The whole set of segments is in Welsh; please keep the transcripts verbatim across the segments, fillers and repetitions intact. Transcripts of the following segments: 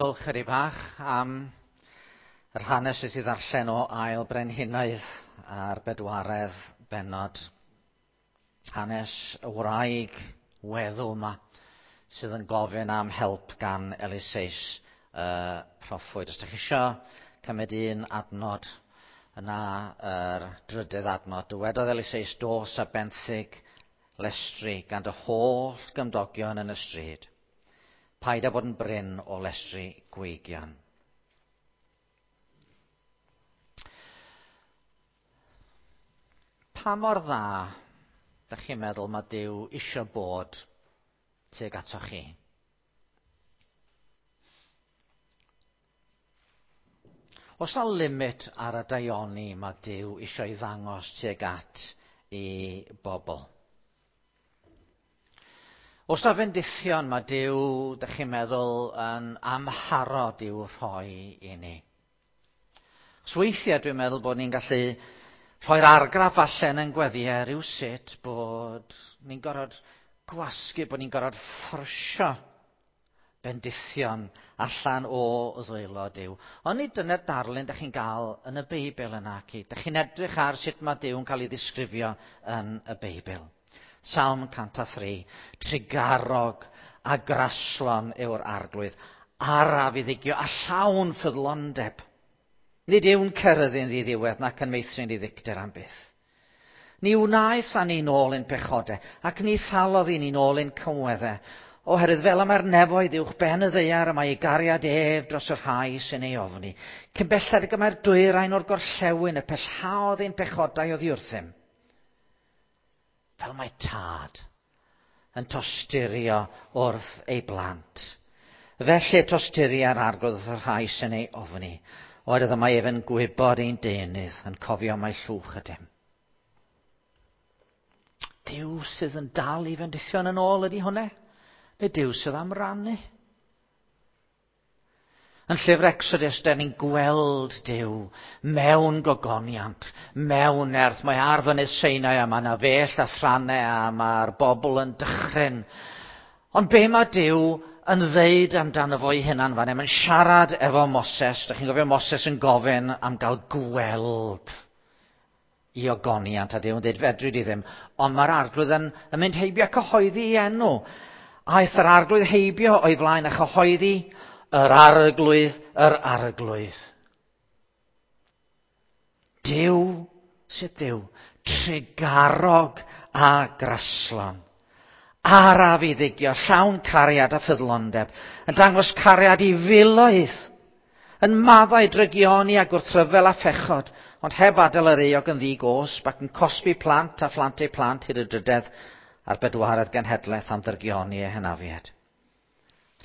Diolch chydig bach am yr hanes sydd i ddarllen o Ail Brenhinoedd a'r bedwaredd bennod. Hanes y wraig weddw yma sydd yn gofyn am help gan Eliseus y proffwyd. Os ydych chi isio cymryd un adnod, yna yr drydydd adnod. Dywedodd Eliseus, dos a benthyg lestri gan dy holl gymdogion yn y stryd. Paid â bod yn brin o lestri gweigion. Pa mor dda dych chi'n meddwl mae Duw isio bod tuag atoch chi? Oes 'na limit ar y daioni mae Duw isio ei ddangos tuag at i bobl? Oes 'na fendithion mae Duw, dych chi'n meddwl, yn amharod i'w rhoi i ni? Os weithiau dwi'n meddwl bod ni'n gallu rhoi'r argraff falle yn gweddiau rhywsut bod ni'n gorfod gwasgu, bod ni'n gorfod fforsio bendithion allan o ddwylo Duw. Ond nid dyna'r darlun dych chi'n gael yn y Beibl yna. Dych chi'n edrych ar sut mae Duw yn cael ei ddisgrifio yn y Beibl. Salm cant a thri, trugarog a graslon yw'r arglwydd, araf i ddigio a llawn ffyddlondeb. Nid yw'n ceryddu'n ddiddiwedd nac yn meithrin ddiddicter am byth. Ni wnaeth â ni'n ôl ein pechodau, ac ni thalodd i ni'n ôl ein cymweddau, oherwydd fel y mae'r nefoedd uwch ben y ddaear y mae ei gariad ef dros y rhai sy'n ei ofni. Cyn belled ag y mae'r dwyrain o'r gorllewin y pellhaodd ein pechodau oddi wrthym. Fel mae tad yn tosturio wrth ei blant. Felly tosturia'r arglwydd wrth y rhai sy'n ei ofni, oherwydd y mae ef yn gwybod ein deunydd, yn cofio mai llwch ydym. Duw sydd yn dal i fendithion yn ôl ydy hwnna? Neu Duw sydd am rannu? Yn llyfr Exodus, da ni'n gweld Duw mewn gogoniant, mewn nerth. Mae ar fynydd Sinai a mae yna fell a thrannau a mae'r bobl yn dychryn. Ond be mae Duw yn ddeud amdano fo'i hunan fan hyn? Mae'n siarad efo Moses. Dach chi'n gofio Moses yn gofyn am gael gweld i ogoniant, a Duw yn dweud fedri di ddim. Ond mae'r arglwydd yn, yn mynd heibio a cyhoeddi ei enw. Aeth yr arglwydd heibio o'i flaen a chyhoeddi yr arglwydd, yr arglwydd. Duw, sut Duw? Trugarog a graslon. Araf i ddigio, llawn cariad a ffyddlondeb, yn dangos cariad i filoedd, yn maddau drygioni a gwrthryfel a phechod, ond heb adael yr euog yn ddi-gosb ac yn cosbi plant a phlant eu plant hyd y drydedd a'r bedwaredd genhedlaeth am ddrygioni eu hynafiad.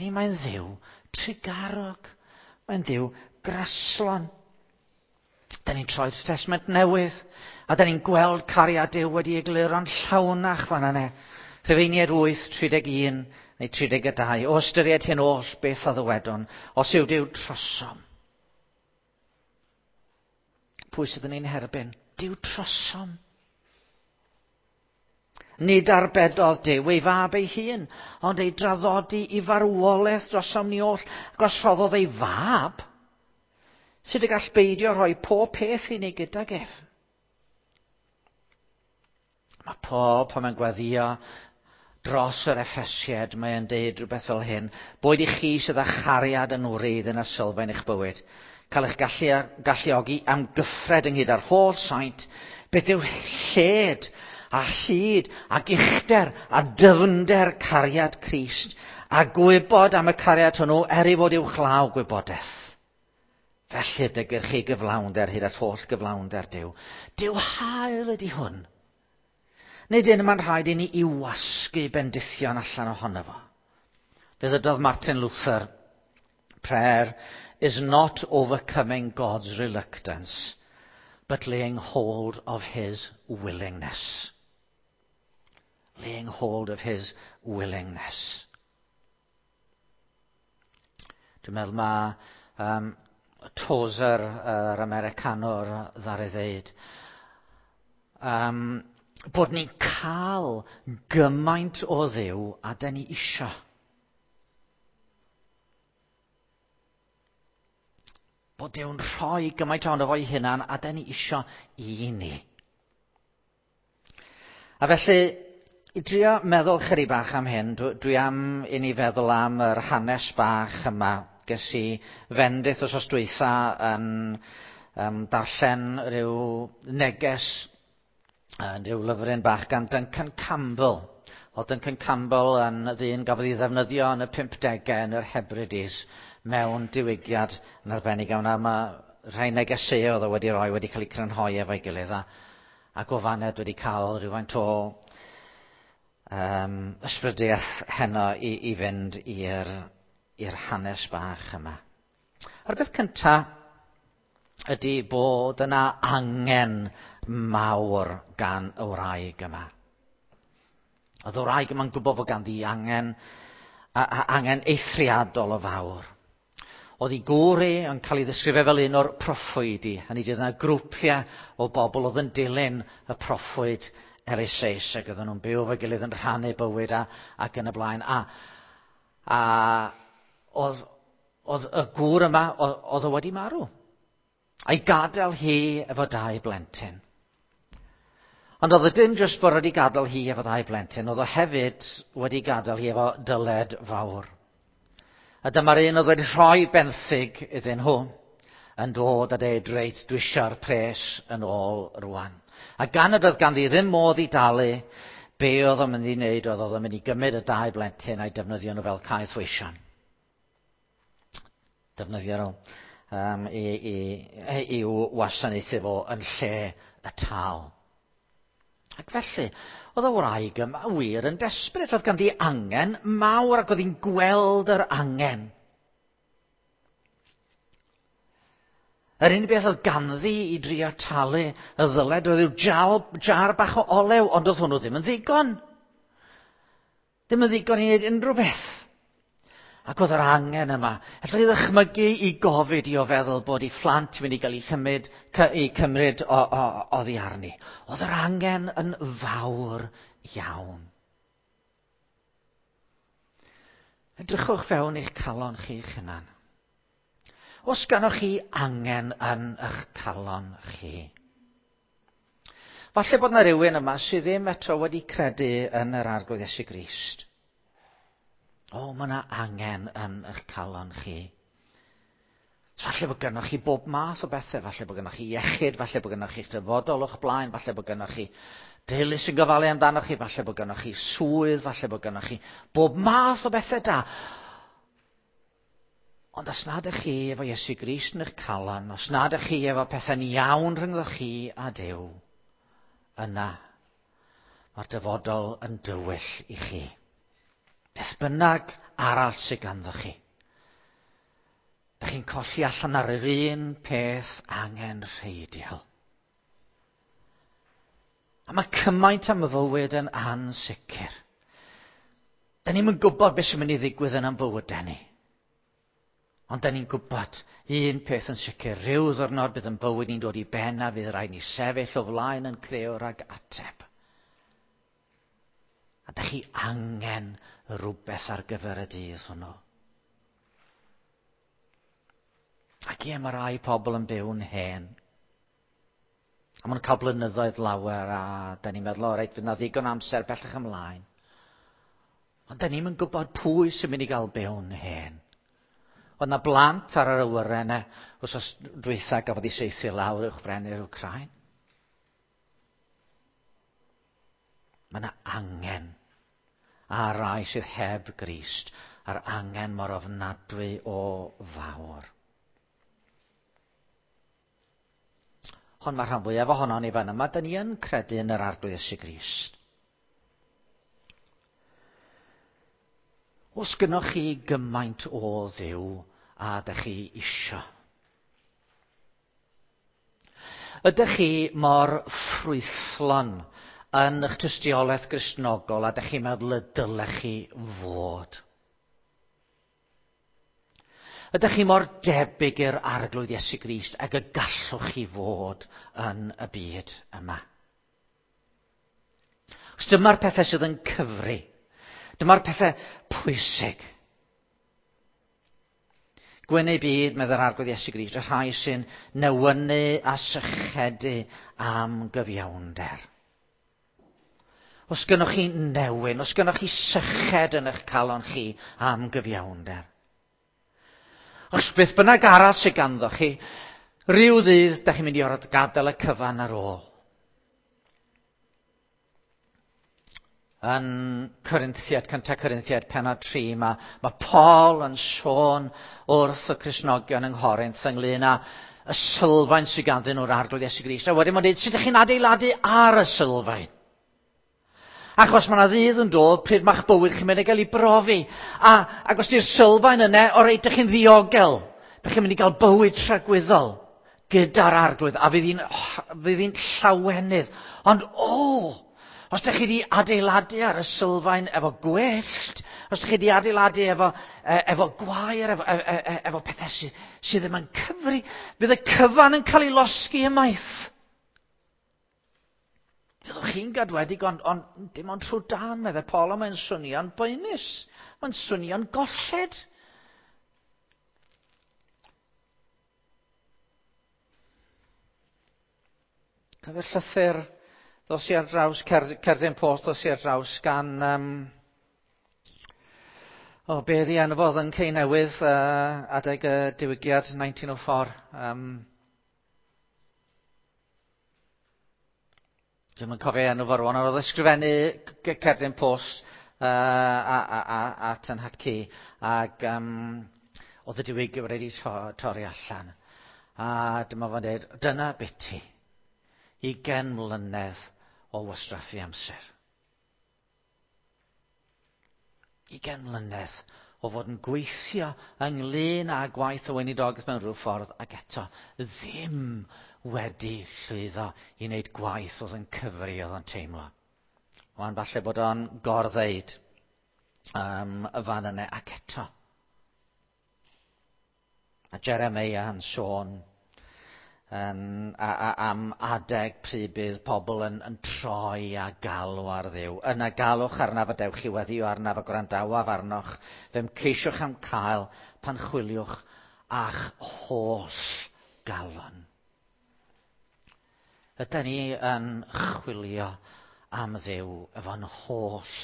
Ni mae'n Dduw trugarog, mae'n Dduw graslon. Da ni'n troi'r Testament Newydd, a da ni'n gweld cariad Duw wedi egluro'n llawnach fan yna. Rhufeiniaid wyth, tri deg un neu tri deg dau. O ystyried hyn oll, beth a ddywedwn, os yw Duw trosom. Pwy sydd yn ein herbyn? Duw trosom. Nid arbedodd Duw ei fab ei hun, ond ei draddodi i farwolaeth drosom ni oll, ac os rhoddodd ei fab, sut y gall beidio rhoi pob peth i ni gydag ef? Mae Paul, pan mae'n gweddïo dros yr Effesiaid, mae'n deud rhywbeth fel hyn: boed i chi sydd â chariad yn wreidd yn y sylfaen eich bywyd, cael eich gallu, galluogi am gyffred ynghyd â'r holl saint, beth yw lled a hyd ac uchder a dyfnder cariad Crist, a gwybod am y cariad hwnnw er ei fod uwchlaw gwybodaeth. Felly dygir chi gyflawnder hyd at holl gyflawnder Duw. Duw hael ydy hwn. Nid un mae'n rhaid i ni i wasgu bendithion allan ohono fo. Fe ddydodd Martin Luther, prayer is not overcoming God's reluctance, but laying hold of his willingness. Laying hold of his willingness. Dwi'n meddwl mae um, Tozer, yr Americanwr, ddaru ddeud, um, bod ni'n cael gymaint o Dduw a da ni isio. Bod Duw'n rhoi gymaint ohono fo'i hunan a da ni isio i ni. A felly, i drio meddwl chydig bach am hyn, dwi, dwi am i ni feddwl am yr hanes bach yma. Ges i fendith wythnos dwytha yn um, darllen rhyw neges, uh, rhyw lyfryn bach gan Duncan Campbell. Oedd Duncan Campbell yn ddyn gafodd ei ddefnyddio yn y pumpdegau yn yr Hebrides mewn diwygiad yn arbennig iawn. A mae rhai negeseuoedd oedd o wedi rhoi wedi cael eu crynhoi efo'i gilydd. A, ac o faned wedi cael rhywfaint o um, ysbrydiaeth heno i, i fynd i'r, i'r hanes bach yma. A'r beth cyntaf ydy bod yna angen mawr gan y wraig yma. Oedd y wraig yma'n gwybod fod ganddi angen, a, a, angen eithriadol o fawr. Oedd ei gŵr hi yn cael ei ddisgrifio fel un o'r proffwydi. Hynny ydy, oedd yna grwpiau o bobl oedd yn dilyn y proffwyd Eliseus ac oedden nhw'n byw efo'i gilydd yn rhannu bywyd a, ac yn y blaen. A, a oedd, oedd y gŵr yma, oedd, oedd o wedi marw. A'i gadael hi efo dau blentyn. Ond oedd o dim jyst bod wedi gadael hi efo dau blentyn, oedd o hefyd wedi gadael hi efo dyled fawr. A dyma'r un oedd wedi rhoi benthyg iddyn nhw yn dod a deud, reit, dwi eisiau'r pres yn ôl rwan. A gan nad oedd ganddi ddim modd i dalu, be oedd o'n mynd i wneud oedd oedd o'n mynd i gymryd y dau blentyn a'i defnyddio nhw fel caethweision. Defnyddio nhw um, i, i, i'w wasanaethu fo yn lle y tal. Ac felly, oedd y wraig yma wir yn desperate. Oedd ganddi angen mawr ac oedd hi'n gweld yr angen. Yr unig beth oedd ganddi i drio talu y ddyled oedd yw jar, jar bach o olew, ond oedd hwnnw ddim yn ddigon. Ddim yn ddigon i wneud unrhyw beth. Ac oedd yr angen yma. Allwch chi ddychmygu i gofid i o feddwl bod ei phlant yn mynd i gael ei chymryd, eu cymryd o, o, oddi arni. Oedd yr angen yn fawr iawn. Edrychwch fewn eich calon chi'ch hunan. Os ganoch chi angen yn eich calon chi. Falle bod yna rhywun yma sydd ddim eto wedi credu yn yr Arglwydd Iesu Grist. O, mae yna angen yn eich calon chi. Falle bod gennych chi bob math o bethau. Falle bod gennych chi iechyd, falle bod gennych chi'ch dyfodol o'ch blaen, falle bod gennych chi deulu sy'n gofalu amdanoch chi, falle bod gennych chi swydd, falle bod gennych chi bob math o bethau da. Ond os nad ydych chi efo Iesu Grist yn eich calon, os nad ydych chi efo pethau'n iawn rhyngddo chi a Duw, yna mae'r dyfodol yn dywyll i chi. Beth bynnag arall sydd ganddo chi. Dych chi'n colli allan ar yr un peth angenrheidiol. A mae cymaint am y fywyd yn ansicr. Da ni'm yn gwybod beth sy'n mynd i ddigwydd yn ein bywydau ni. Ond da ni'n gwybod un peth yn sicr, rhyw ddwrnod bydd yn bywyd ni'n dod i ben a fydd rhaid ni sefyll o flaen yn crëwr ag ateb. A da chi angen rhywbeth ar gyfer y dydd hwnnw. Ac ie, mae rai pobl yn byw'n hen. A maen nhw'n cael blynyddoedd lawer a da ni'n meddwl, o reit, fydd na ddigon amser bellach ymlaen. Ond da ni'm yn gwybod pwy sy'n mynd i gael byw'n hen. Oedd na blant ar yr awyren yna, wythnos dwytha gafodd ei saethu lawr uwchben i'r Wcráin. Mae yna angen ar rai sydd heb Grist, a'r angen mor ofnadwy o fawr. Ond mae'r rhan fwyaf ohonon ni fan yma, da ni yn credu yn yr Arglwydd Iesu Grist. Os gynnoch chi gymaint o Dduw a dych chi isio? Ydych chi mor ffrwythlon yn eich tystiolaeth Gristnogol a dych chi'n meddwl y dylech chi fod? Ydych chi mor debyg i'r Arglwydd Iesu Grist ag y gallwch chi fod yn y byd yma? Os dyma'r pethau sydd yn cyfri, dyma'r pethau pwysig. Gwyn eu byd, meddai'r Arglwydd Iesu Grist, y rhai sy'n newynu a sychedu am gyfiawnder. Os gynnoch chi newyn, os gynnoch chi syched yn eich calon chi am gyfiawnder. Os beth bynnag arall sydd ganddo chi, rhyw ddydd, da chi'n mynd i orfod gadael y cyfan ar ôl. Yn Corinthiad, cyntaf Corinthiad, pennod tri, mae, mae Paul yn sôn wrth y Cristnogion yng Nghorinth ynglyn â y sylfaen sydd ganddyn nhw'r Arglwydd Iesu Grist. A wedyn mae'n dweud, sut ydych chi'n adeiladu ar y sylfaen? Achos mae yna ddydd yn dod pryd mae'ch bywyd chi'n mynd i gael ei brofi. A, ac os di'r sylfaen yna, o reit, ydych chi'n ddiogel. Ydych chi'n mynd i gael bywyd tragwyddol gyda'r Arglwydd. A fydd hi'n, oh, fydd hi'n llawenydd. Ond, o, oh, os ydych chi wedi adeiladu ar y sylfaen efo gwellt, os ydych chi wedi adeiladu efo, efo gwair, efo, efo, efo pethau sydd, sydd ddim yn cyfri, fydd y cyfan yn cael ei losgi ymaith. Fyddwch chi'n gadwedig, ond, ond dim ond trwy dan, meddai Paul, ond mae'n swnio'n boenus. Mae'n swnio'n golled. Cofio'r llythyr ddos i ar draws, cer, cerdyn post ddos i ar draws gan, um, o, be ydi enw fo, yn Cei Newydd, uh, adeg y diwygiad nineteen oh four. Um, Dwi'm yn cofio enw fo rwan, ond oedd ysgrifennu cerdyn post uh, a, a, a, at yn hatcu, ac um, oedd y diwygiad wedi to, torri allan. A dyma fo'n dweud, dyna biti, ugain mlynedd o wastraffu amser. Ugain mlynedd o fod yn gweithio ynglyn â gwaith y weinidogaeth mewn rhyw ffordd, ac eto ddim wedi llwyddo i wneud gwaith oedd yn cyfri oedd yn teimlo. Wan falle bod o'n gorddeud um, y fan yna, ac eto. A Jeremiah yn sôn yn, a, a, am adeg pryd bydd pobl yn, yn troi a galw ar Dduw. Yna galwch arnaf a dewch i weddio arnaf a gwrandawaf arnoch. Fe'm ceisiwch am cael pan chwiliwch a'ch holl galon. Ydy ni yn chwilio am Dduw efo'n holl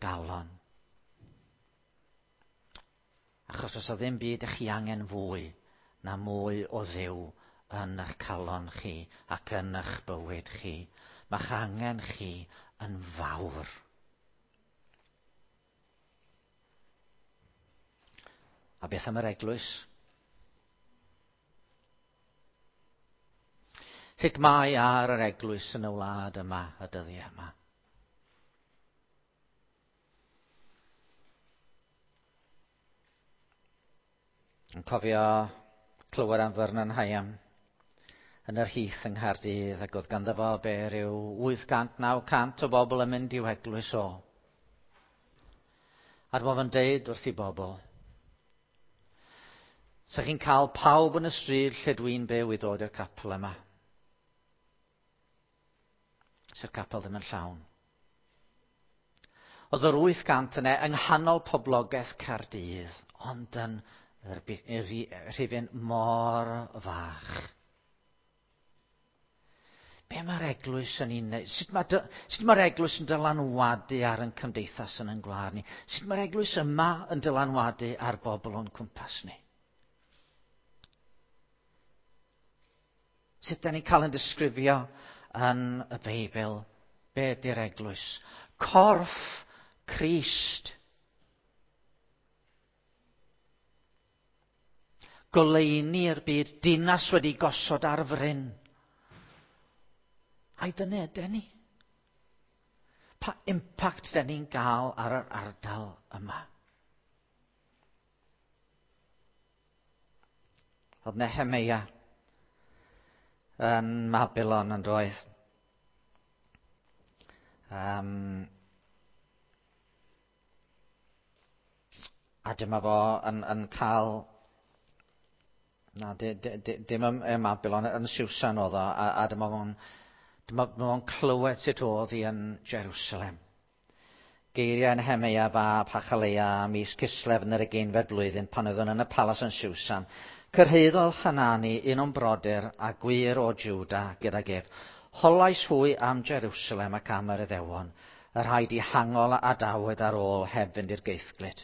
galon? Achos os o ddim byd ych chi angen fwy na mwy o Dduw yn eich calon chi ac yn eich bywyd chi. Mae'ch angen chi yn fawr. A beth am yr eglwys? Sut mae ar yr eglwys yn y wlad yma, y dyddiau yma? Yn cofio clywed am Vernon Higham yn yr Heath yng Nghaerdydd, ac oedd ganddo fo be rhyw wyth cant, naw cant o bobl yn mynd i'w eglwys o. A dyma fo'n deud wrth i bobl, sa chi'n cael pawb yn y stryd lle dwi'n byw i ddod i'r capel yma. Sa'r capel ddim yn llawn. Oedd yr wyth cant yna yng nghanol poblogaeth Caerdydd, ond yn rhifyn mor fach. Be mae'r eglwys yn ei wneud? Sut mae, sut mae'r eglwys yn dylanwadu ar ein cymdeithas yn ein gwlad ni? Sut mae'r eglwys yma yn dylanwadu ar bobl o'n cwmpas ni? Sut da ni'n cael yn disgrifio yn y Beibl? Be ydy'r eglwys? Corff Crist. Goleuni'r byd, dinas wedi gosod ar fryn. Ai dyna ydyn ni? Pa impact dyn ni'n gael ar yr ardal yma? Oedd Nehemia yn Babylon yn doedd. Um, a dyma fo yn, yn cael... Na, di, di, di, dim ym, ym Babylon, yn Susan oedd o, a, a dyma fo'n dyma fo'n clywed sut oedd hi yn Jerusalem. Geiriau Nehemeia fab Hachaleia mis Cislef yn yr ugeinfed blwyddyn pan oeddwn yn y palas yn Siwsan. Cyrhaeddodd Hanani un o'n brodyr a gwir o Juda gydag ef. Holais hwy am Jerusalem ac am yr Iddewon, y rhai dihangol a adawyd ar ôl heb fynd i'r geithglyd.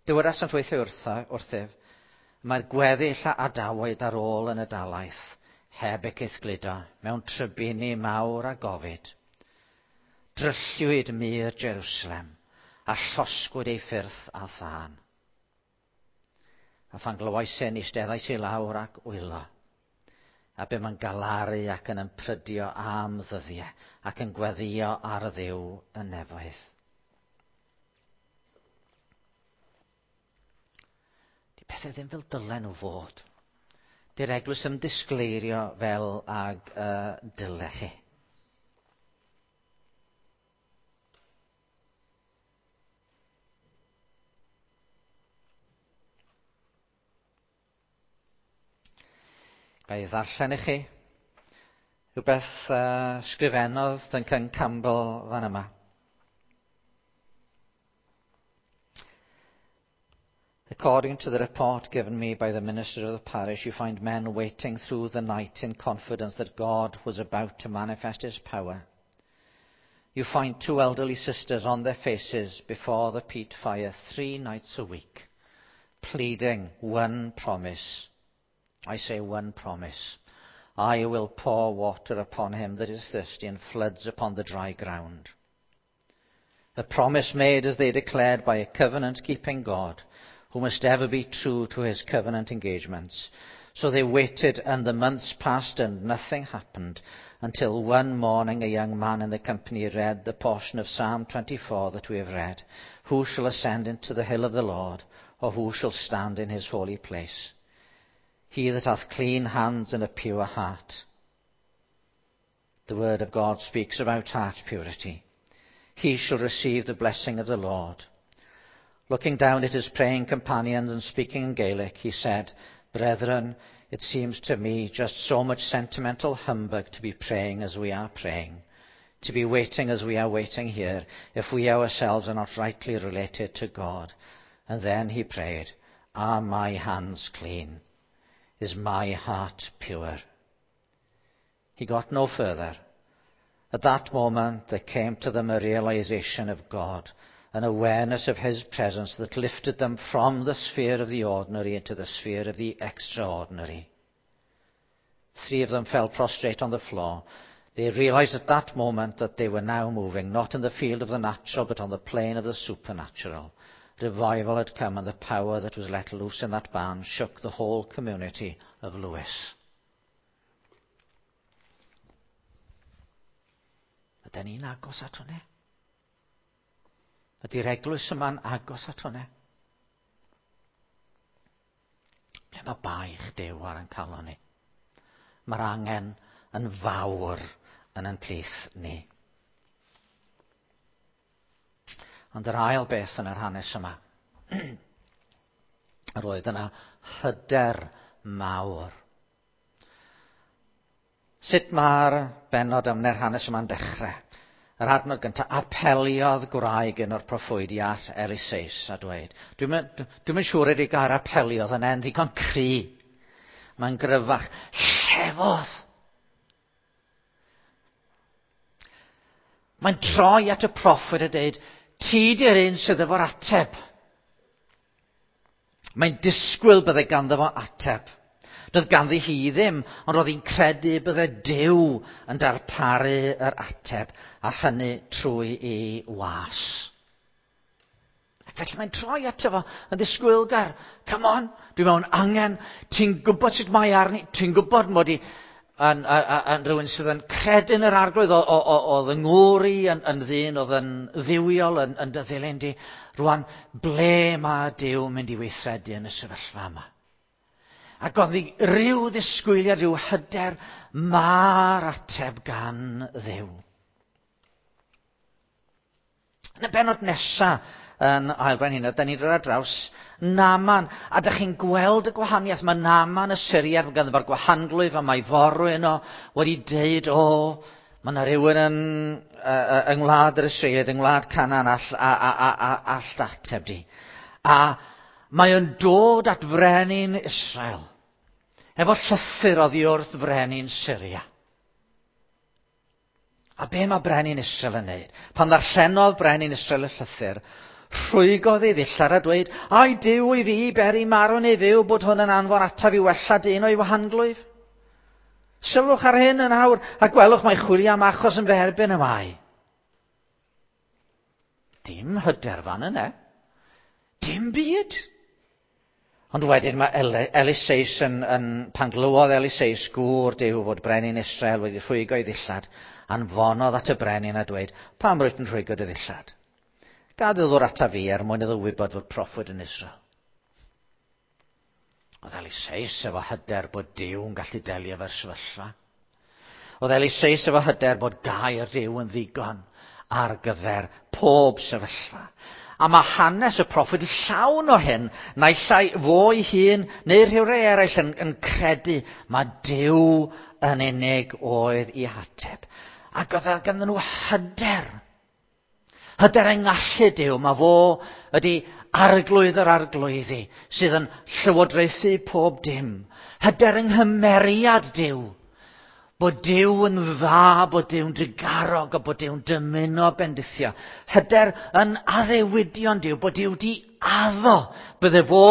Dywedasant weithiau wrtha, wrthyf, mae'r gweddill a adawyd ar ôl yn y dalaith, heb eu caethgludo, mewn trybini mawr a gofid. Drylliwyd mur Jerusalem, a llosgwyd ei ffyrdd a thân. A phan glywais hyn, eisteddais i lawr ac wylo. A bum yn galaru ac yn ymprydio am ddyddiau, ac yn gweddïo ar Dduw y nefoedd. Di pethau ddim fel dylen nhw fod. Di'r eglwys yn disgleirio fel ag uh, dyle chi. Ga i ddarllen i chi rhywbeth uh, sgrifennodd Duncan Campbell fan yma. According to the report given me by the minister of the parish, you find men waiting through the night in confidence that God was about to manifest his power. You find two elderly sisters on their faces before the peat fire three nights a week, pleading one promise. I say one promise. I will pour water upon him that is thirsty and floods upon the dry ground. A promise made, as they declared, by a covenant-keeping God, who must ever be true to his covenant engagements. So they waited, and the months passed, and nothing happened, until one morning a young man in the company read the portion of Psalm twenty-four that we have read. Who shall ascend into the hill of the Lord, or who shall stand in his holy place? He that hath clean hands and a pure heart. The word of God speaks about heart purity. He shall receive the blessing of the Lord. Looking down at his praying companions and speaking in Gaelic, he said, Brethren, it seems to me just so much sentimental humbug to be praying as we are praying, to be waiting as we are waiting here, if we ourselves are not rightly related to God. And then he prayed, Are my hands clean? Is my heart pure? He got no further. At that moment there came to them a realization of God, an awareness of his presence that lifted them from the sphere of the ordinary into the sphere of the extraordinary. Three of them fell prostrate on the floor. They realized at that moment that they were now moving, not in the field of the natural, but on the plane of the supernatural. Revival had come, and the power that was let loose in that barn shook the whole community of Lewis. Ydy ni'n agos at hwnna? Ydy'r eglwys yma'n agos at hwnna? Ble mae baich Duw ar ein calon ni? Mae'r angen yn fawr yn ein plith ni. Ond yr ail beth yn yr hanes yma, yr oedd yna hyder mawr. Sut mae'r bennod am neu'r hanes yma'n dechrau? Yr adnod gyntaf, apeliodd gwraig un o'r proffwydi at Eliseus a dweud. Dwi'm yn siŵr ydy gair apeliodd yn en ddigon cry. Mae'n gryfach. Llefodd! Mae'n troi at y proffwyd a dweud, ti di'r un sydd efo'r ateb. Mae'n disgwyl bydde ganddo fo ateb. Doedd ganddi hi ddim, ond roedd hi'n credu bydde Duw yn darparu yr ateb, a hynny trwy ei was. Ac felly mae'n troi ato fo yn ddisgwylgar. Come on, dwi mewn angen, ti'n gwybod sut mae arni, ti'n gwybod mod i yn, yn, yn rhywun sydd yn credu yn yr Arglwydd, oedd yng ngŵr i yn, yn ddyn, oedd yn dduwiol, yn, yn dy ddilyn di. Rwan, ble mae Duw mynd i weithredu yn y sefyllfa yma? Ac oedd hi ryw ddisgwyliad, rhyw hyder, mae'r ateb gan Dduw. Yn y bennod nesaf yn Ail Frenhinoedd, da ni'n dod ar draws Naaman. A da chi'n gweld y gwahaniaeth. Mae Naaman y Syriad, mae ganddo fo'r gwahanglwyf a mae forwyn o wedi deud, o, Mae yna rhywun yn, uh, yng ngwlad yr Israeliaid, yng ngwlad Canaan all, a, a, a, a, all ateb di. A mae o'n dod at frenin Israel, efo llythyr oddi wrth frenin Syria. A be mae brenin Israel yn neud? Pan ddarllenodd brenin Israel y llythyr, rhwygodd ei ddillad a dweud, ai Duw i fi beri marw neu fyw bod hwn yn anfon ataf i wella dyn o'i wahanglwyf? Sylwch ar hyn yn awr, a gwelwch mai chwilio am achos yn fy erbyn y mae. Dim hyder fan yna. Dim byd. Ond wedyn mae Eliseus yn, yn, pan glywodd Eliseus gŵr Duw fod brenin Israel wedi rhwygo ei ddillad, anfonodd at y brenin a dweud, pam rwyt yn rhwygo dy ddillad? Gad iddo ddod ata fi er mwyn iddo wybod fod proffwyd yn Israel. Oedd Eliseus efo hyder bod Duw yn gallu delio efo'r sefyllfa. Oedd Eliseus efo hyder bod gair Duw yn ddigon ar gyfer pob sefyllfa. A mae hanes y proffwyd llawn o hyn, naill ai fo ei hun neu rhywrai eraill yn, yn credu mae Duw yn unig oedd i hateb. Ac oedd ganddyn nhw hyder. Hyder yng ngallu Duw, mae fo ydy arglwydd yr arglwyddi sydd yn llywodraethu pob dim. Hyder yng nghymeriad Duw. Bod Duw yn dda, bod Duw'n drugarog a bod Duw'n dymuno bendithio. Hyder yn addewidion Duw, bod Duw di addo. Bydde fo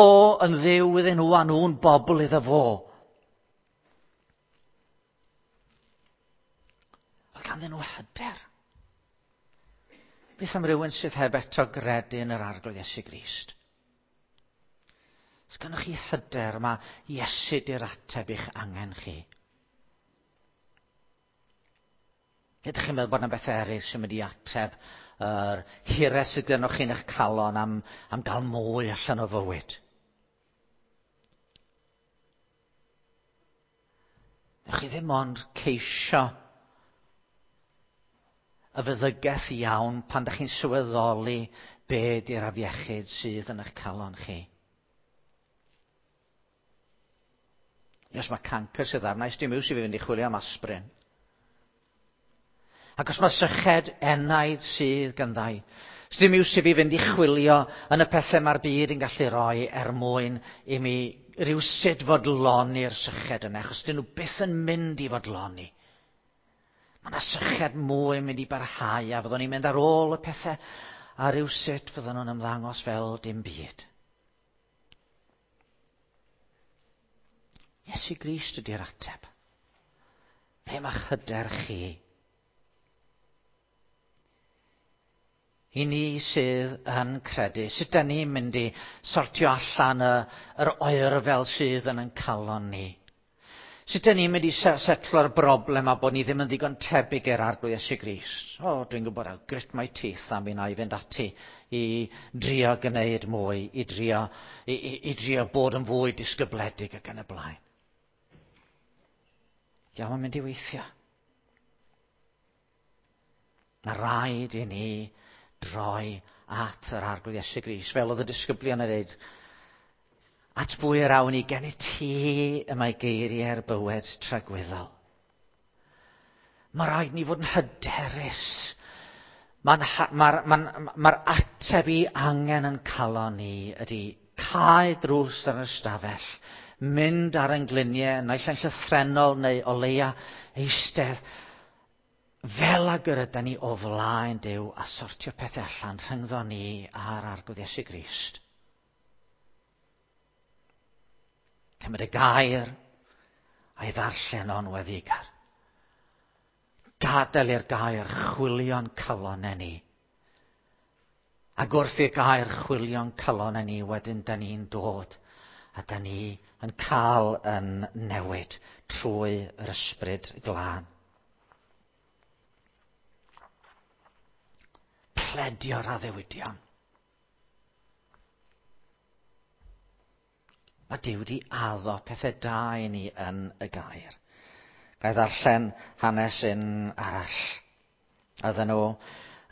yn Dduw iddyn nhw a nhw'n bobl iddo fo. Oedd ganddyn nhw hyder. Beth am rywun sydd heb eto gredu yn yr Arglwydd Iesu Grist? Os gynnoch chi hyder, mae Iesu di'r ateb i'ch angen chi. Ydych chi'n meddwl bod yna bethau eraill sy'n mynd i ateb yr hiraeth sydd gynnoch chi'n eich calon am, am gael mwy allan o fywyd? Newch chi ddim ond ceisio y feddygaeth iawn pan ydych chi'n sylweddoli be di'r afiechyd sydd yn eich calon chi. Os mae cancer sydd arna, dim iws i fi fynd i chwilio am aspirin. Ac os mae syched enaid sydd ganddo, dim iws i fi fynd i chwilio yn y pethau mae'r byd yn gallu rhoi er mwyn i mi rywsut fodloni'r syched yna, achos dyn nhw byth yn mynd i fodloni. Mae yna syched mwy yn mynd i barhau a fyddwn ni'n mynd ar ôl y pethau a rywsut fydden nhw'n ymddangos fel dim byd. Iesu Grist ydy'r ateb. Ble mae'ch hyder chi? I ni sydd yn credu, sut da ni'n mynd i sortio allan y, yr oerfel sydd yn ein calon ni? Sut da ni'n mynd i setlo'r broblem a bod ni ddim yn ddigon tebyg i'r Arglwydd Iesu Grist? O, dwi'n gwybod, I'll grit my teeth a mi na i fynd ati i drio gwneud mwy, i drio, i, i, i drio bod yn fwy disgybledig ac yn y blaen. Diolch yn mynd i weithio. Mae rhaid i ni droi at yr Arglwydd Iesu Grist, fel oedd y disgyblion yn dweud, at bwy yr awn i gen i ti y mae geiriau'r bywyd tragwyddol. Mae rhaid ni fod yn hyderus. Mae'r ma, ma, ma ateb i angen yn calon ni ydy cau drws ar yr ystafell, mynd ar ein gliniau, naill ai'n llythrennol neu o leia eistedd, fel ag yr ydan ni o flaen Duw a sortio pethau allan rhyngddo ni a'r Arglwydd Iesu Grist. Cymryd y gair a'i ddarllen o'n weddigar. Gadael i'r gair chwilio'n calonau ni. Ac wrth i'r gair chwilio'n calonau ni, wedyn da ni'n dod a da ni yn cael yn newid trwy yr Ysbryd Glân. Pledio'r addewidion. Mae Duw wedi addo pethau da i ni yn y gair. Ga i ddarllen hanes un arall. Oedden nhw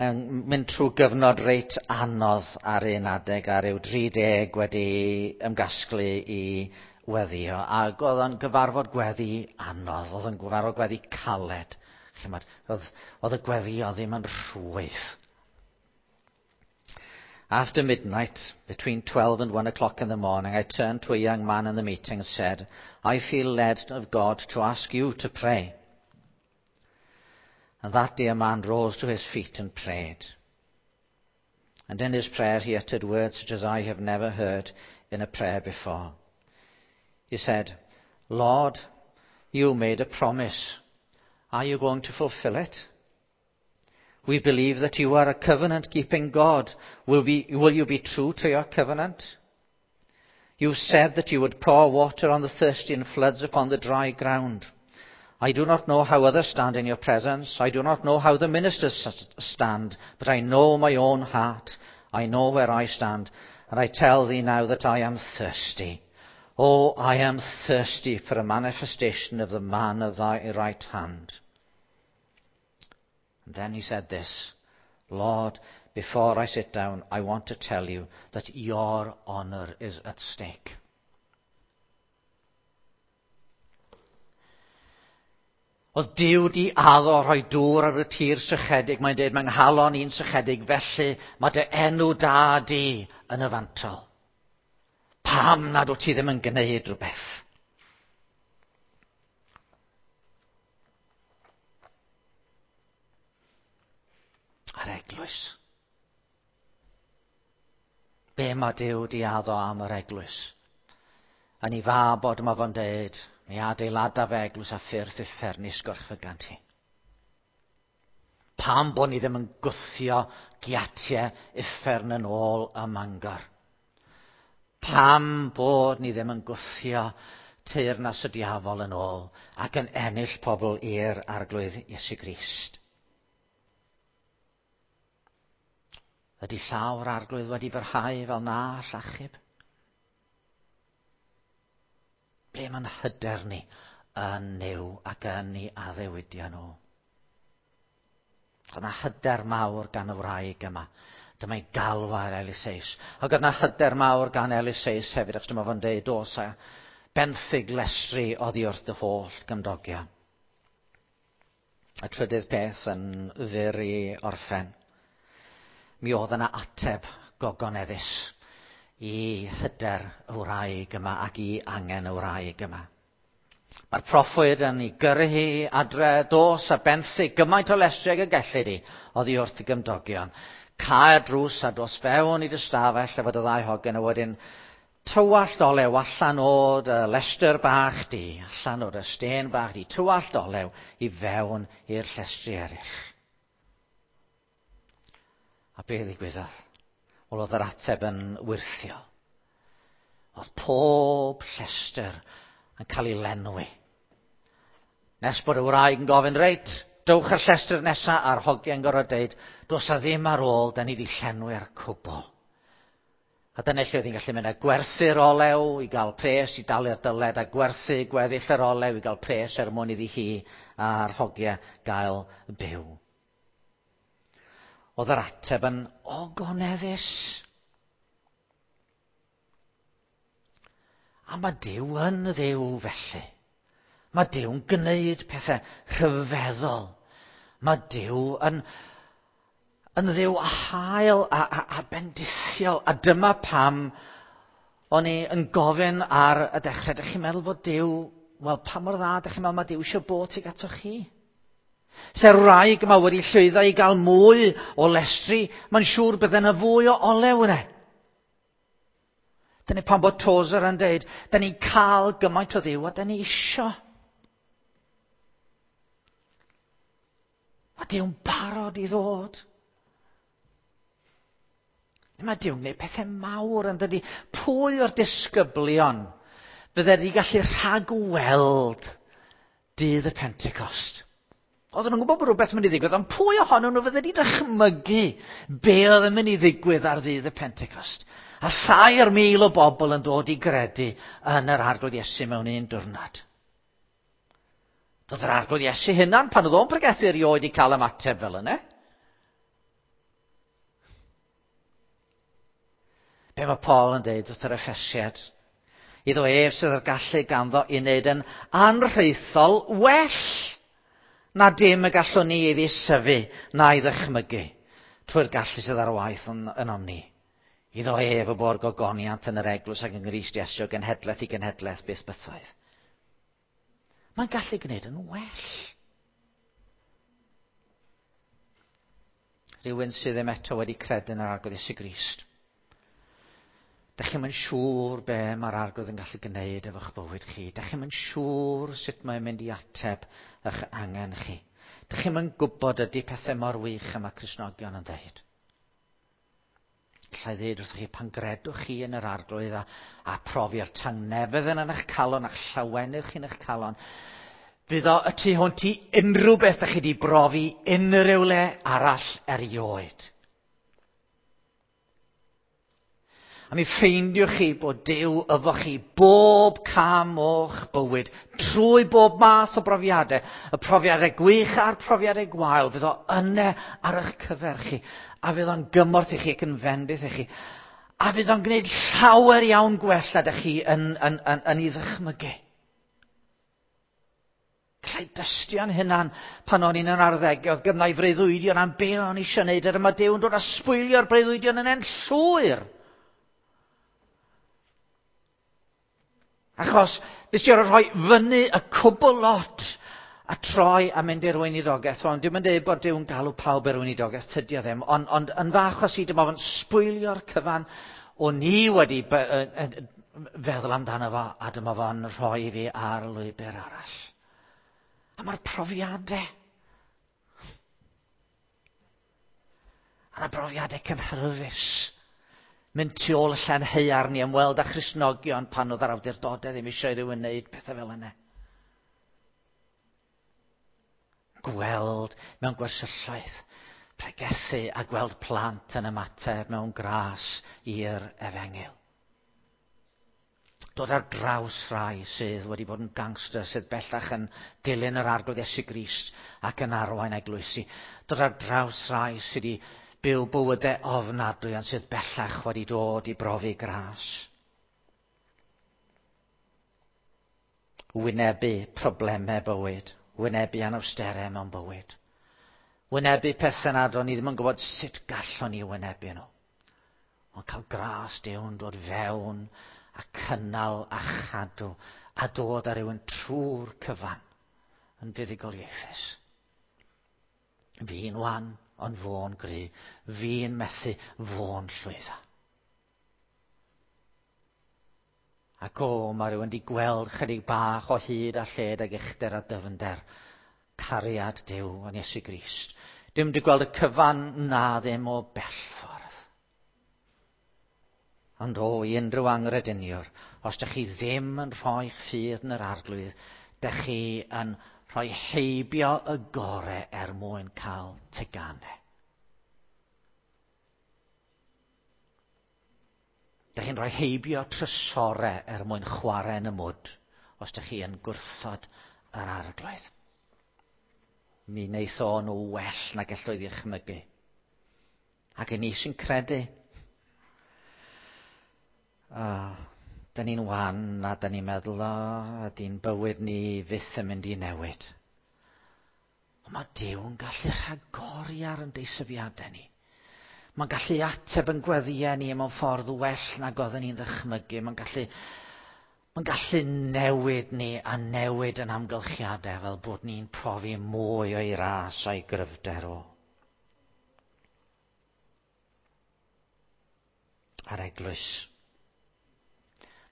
yn mynd trwy gyfnod reit anodd ar un adeg, ar ryw dri deg wedi ymgasglu i weddio. Ac oedd o'n gyfarfod gweddi anodd, oedd o'n gyfarfod gweddi caled. Chymod, oedd, oedd y gweddio ddim yn rhwydd. After midnight, between twelve and one o'clock in the morning, I turned to a young man in the meeting and said, I feel led of God to ask you to pray. And that dear man rose to his feet and prayed. And in his prayer he uttered words such as I have never heard in a prayer before. He said, Lord, you made a promise. Are you going to fulfill it? We believe that you are a covenant-keeping God. Will, be, will you be true to your covenant? You said that you would pour water on the thirsty and floods upon the dry ground. I do not know how others stand in your presence. I do not know how the ministers stand, but I know my own heart. I know where I stand, and I tell thee now that I am thirsty. Oh, I am thirsty for a manifestation of the man of thy right hand. And then he said this, Lord, before I sit down, I want to tell you that your honour is at stake. Oedd Duw di addo rhoi dŵr ar y tir sychedig. Mae'n dweud, mae'n nghalon i'n sychedig, felly mae dy enw da di yn y fantol. Pam nad wyt ti ddim yn gwneud rhywbeth? A'r eglwys. Be mae Duw di addo am yr eglwys? Yn ei fabod mae fo'n dweud, mi adeilada fe eglwys a ffyrdd uffern i sgorchfygant hi. Pam bod ni ddim yn gwthio giatiau uffern yn ôl ym Mangor? Pam bod ni ddim yn gwthio teyrnas y diafol yn ôl ac yn ennill pobl i'r Arglwydd Iesu Grist? Ydy llaw'r Arglwydd wedi fyrhau fel na all achub? Ble mae'n hyder ni yn Nuw ac yn ei addewidion nhw? Oedd yna hyder mawr gan y wraig yma. Dyma'i galw ar Eliseus. Ac oedd yna hyder mawr gan Eliseus hefyd, achos dyma fo'n deud, dos a benthyg llestri oddi wrth dy holl gymdogion. Y trydydd peth yn fyr i orffen. Mi oedd yna ateb gogoneddus i hyder y wraig yma ac i angen y wraig yma. Mae'r proffwyd yn ei gyrru hi adre, dos a benthyg gymaint o lestri ag y gellid hi oddi wrth y gymdogion. Cael drws a dos fewn i dy stafell efo dy ddau hogyn a wedyn tywallt olew allan o dy lestr bach di, allan o dy stên bach di, tywallt olew i fewn i'r llestri eraill. A be ddigwyddodd? Wel, oedd yr ateb yn wyrthio. Oedd pob llestr yn cael ei lenwi. Nes bod y wraig yn gofyn, reit, dowch ar llestr nesaf, a'r hogiau'n gorfod deud, dos a ddim ar ôl, da ni wedi llenwi'r cwbl. A dyna lle oedd hi'n gallu mynd a gwerthu'r olew i gael pres i dalu'r dyled, a gwerthu gweddill yr olew i gael pres er mwyn iddi hi a'r hogiau gael byw. Oedd yr ateb yn ogoneddus. A mae Duw yn Dduw felly. Mae Duw'n gwneud pethau rhyfeddol. Mae Duw yn, yn Dduw hael a, a, a bendithiol. A dyma pam o'n i yn gofyn ar y dechrau. Dych chi'n meddwl fod Duw, wel, pa mor dda dych chi'n meddwl mae Duw eisiau bod tuag atoch chi? Se'r wraig yma wedi llwyddo i gael mwy o lestri, mae'n siŵr bydde yna fwy o olew yna. Dyna pam bod Tozer yn deud, da ni'n cael gymaint o Dduw a da ni isio. Mae Duw'n barod i ddod. Mae Duw'n gwneud pethau mawr yn dydi. Pwy o'r disgyblion fydde wedi gallu rhagweld dydd y Pentecost? Oedden nhw'n gwybod bod rhywbeth yn mynd i ddigwydd, ond pwy ohonyn nhw fydde wedi dychmygu be oedd yn mynd i ddigwydd ar ddydd y Pentecost? A thair mil o bobl yn dod i gredu yn yr Arglwydd Iesu mewn un diwrnod. Doedd yr Arglwydd Iesu hunan pan oedd o'n pregethu erioed i cael ymateb fel yna. Be mae Paul yn dweud wrth yr Effesiad? Iddo ef sydd â'r gallu ganddo i wneud yn anrhaethol well Na dim y gallwn ni ei ddeisyfu na'i ddychmygu trwy'r gallu sydd ar waith yn, ynom ni. Iddo ef y bo'r gogoniant yn yr eglwys ac yng Nghrist Iesu o genhedlaeth i genhedlaeth byth bythoedd. Mae'n gallu gwneud yn well. Rhywun sydd ddim eto wedi credu yn yr Arglwydd Iesu Grist. Dach chi'm yn siŵr be mae'r Arglwydd yn gallu gwneud efo'ch bywyd chi. Dach chi'm yn siŵr sut mae'n mynd i ateb eich angen chi. Dach chi'm yn gwybod ydy pethau mor wych y mae Cristnogion yn dweud. Alla i ddweud wrthych chi, pan gredwch chi yn yr Arglwydd a, a profi'r tangnefedd yn eich calon a'ch llawenydd chi'n eich calon, fydd o y tu hwnt i unrhyw beth ydych chi wedi brofi unrhyw le arall erioed. A mi ffeindiwch chi bod Duw efo chi bob cam o'ch bywyd, trwy bob math o brofiadau, y profiadau gwych a'r profiadau gwael, fydd o yna ar eich cyfer chi, a fydd o'n gymorth i chi ac yn fendith i chi, a fydd o'n gwneud llawer iawn gwell na ydych chi yn, yn, yn, yn ei ddychmygu. Gallai dystio'n hunan pan o'n i'n yn arddegau, oedd gynna i freuddwydion am be o'n i eisiau gwneud, a dyma Duw yn dod a sbwylio'r breuddwydion yn en llwyr. Achos nes i orfod rhoi fyny y cwbl lot a troi a mynd i'r weinidogaeth. Ond dwi'm yn dweud bod Duw'n galw pawb i'r weinidogaeth, tydi o ddim. Ond, ond yn fy achos i, dyma fo'n sbwylio'r cyfan o'n i wedi feddwl amdano fo, a dyma fo'n rhoi fi ar lwybr arall. A mae'r profiadau. A 'na brofiadau cynhyrfus. Mynd tu ôl y llen haearn i ymweld â Christnogion pan oedd yr awdurdodau ddim eisiau i rywun wneud pethau fel yna. Gweld mewn gwersylloedd, pregethu a gweld plant yn ymateb mewn gras i'r efengyl. Dod ar draws rhai sydd wedi bod yn gangster, sydd bellach yn dilyn yr Arglwydd Iesu Grist ac yn arwain eglwysi. Dod ar draws rhai sydd wedi byw bywydau ofnadwy ond sydd bellach wedi dod i brofi gras. Wynebu problemau bywyd, wynebu anawsterau mewn bywyd. Wynebu pethau nad o'n i ddim yn gwybod sut gallwn ni wynebu nhw. Ond cael gras Duw'n dod fewn a cynnal a chadw a dod ar rywun trwy'r cyfan yn fuddugoliaethus. Fi'n wan, ond fo'n gry. Fi'n methu, fo'n llwyddo. Ac o, mae rhywun wedi gweld chydig bach o hyd a lled ag uchder a dyfnder. Cariad Duw yn Iesu Grist. Dim wedi gweld y cyfan na ddim o bell ffordd. Ond o, i unrhyw angrediniwr, os ydych chi ddim yn rhoi'ch ffydd yn yr Arglwydd, ydych chi yn rhoi heibio y gore er mwyn cael teganau. Ydych chi'n rhoi heibio trysorau er mwyn chwarae yn y mwd, os ydych chi yn gwrthod yr Arglwydd. Mi wneith o nhw well na gellwyd i chmygu. Ac i ni sy'n credu, oh, da ni'n wan a da ni'n meddwl, o, ydy'n bywyd ni fyth yn mynd i newid. Ond mae Duw yn gallu rhagori ar yn deisyfiadau ni. Mae'n gallu ateb yn gweddïau ni mewn ffordd well nag oedden ni'n ddychmygu. Mae'n gallu, mae'n gallu newid ni a newid yn amgylchiadau fel bod ni'n profi mwy o'i ras a'i gryfder o. A'r eglwys.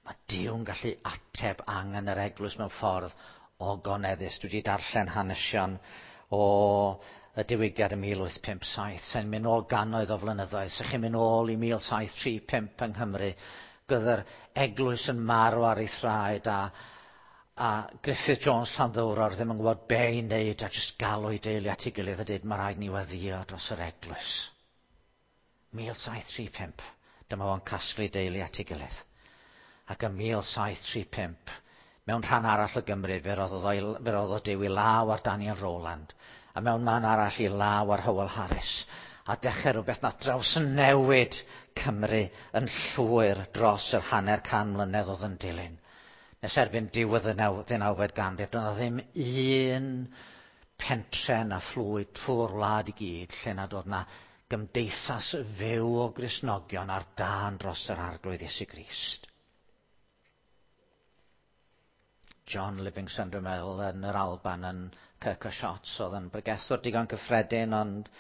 Mae Duw'n gallu ateb angen yr eglwys mewn ffordd ogoneddus. Dwi wedi darllen hanesion o y diwygiad ym mil wyth pump saith, sy'n mynd nôl gannoedd o flynyddoedd. Sych chi'n mynd nôl i mil saith tri pump yng Nghymru, gyda'r eglwys yn marw ar ei thraed a, a Griffith Jones Llanddowror ddim yn gwybod be i wneud a jyst galw ei deulu at ei gilydd a dweud mae rhaid ni weddïo dros yr eglwys. mil saith tri pump, dyma fo'n casglu deulu at ei gilydd. Ac ym mil saith tri pump, mewn rhan arall o Gymru, fe roddodd, o, fe roddodd Duw i law ar Daniel Rowland, a mewn man arall i law ar Howell Harris, a dechrau rhywbeth nath drawsnewid Cymru yn llwyr dros yr hanner can mlynedd oedd yn dilyn. Nes erbyn diwedd y ddeunawfed ganrif, doedd 'na ddim un pentre na phlwy trwy'r wlad i gyd lle nad oedd na gymdeithas fyw o Gristnogion ar dân dros yr Arglwydd Iesu Grist. John Livingston, dwi'n meddwl, yn yr Alban yn Kirk o' Shots, oedd yn bregethwr digon cyffredin, ond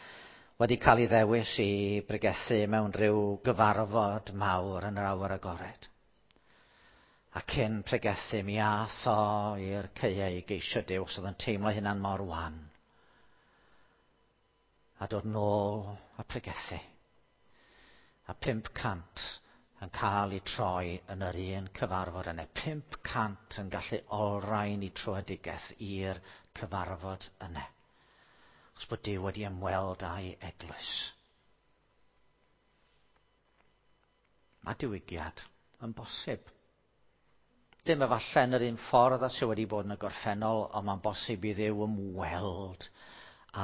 wedi cael ei ddewis i bregethu mewn rhyw gyfarfod mawr yn yr awyr agored. A cyn pregethu mi ath o i'r caeau i geisio Duw, os oedd yn teimlo hynna'n mor wan. A dod nôl a pregethu. A pump cant yn cael ei troi yn yr un cyfarfod yna. Pump cant yn gallu olrhain eu tröedigaeth i'r cyfarfod yna. Achos bod Duw wedi ymweld â'i eglwys. Mae diwygiad yn bosib. Dim efallai yn yr un ffordd a sydd wedi bod yn y gorffennol, ond mae'n bosib i Dduw ymweld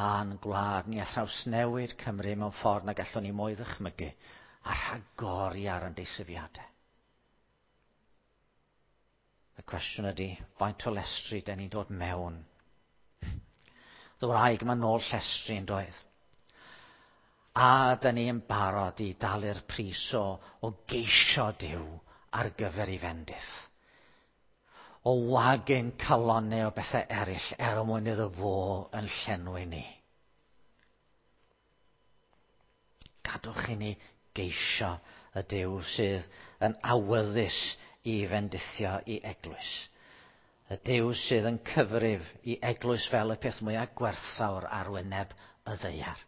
â'n gwlad ni a thrawsnewid Cymru mewn ffordd na gallwn ni mwy ddychmygu a rhagori ar ein deisyfiadau. Y cwestiwn ydy, faint o lestri den ni'n dod mewn? Y wraig yma nôl llestri yn doedd. A dyn ni'n barod i dalu'r pris o, o geisio Duw ar gyfer ei fendith. O wagu'n calonnau o bethau eraill er mwyn iddo fo yn llenwi ni. Gadwch i ni geisio y Duw sydd yn awyddus i fendithio i eglwys. Y Duw sydd yn cyfrif i eglwys fel y peth mwyaf gwerthfawr ar wyneb y ddaear.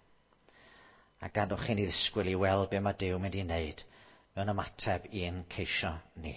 A gadwch i ni ddisgwyl i weld be mae Duw mynd i wneud mewn ymateb i'n ceisio ni.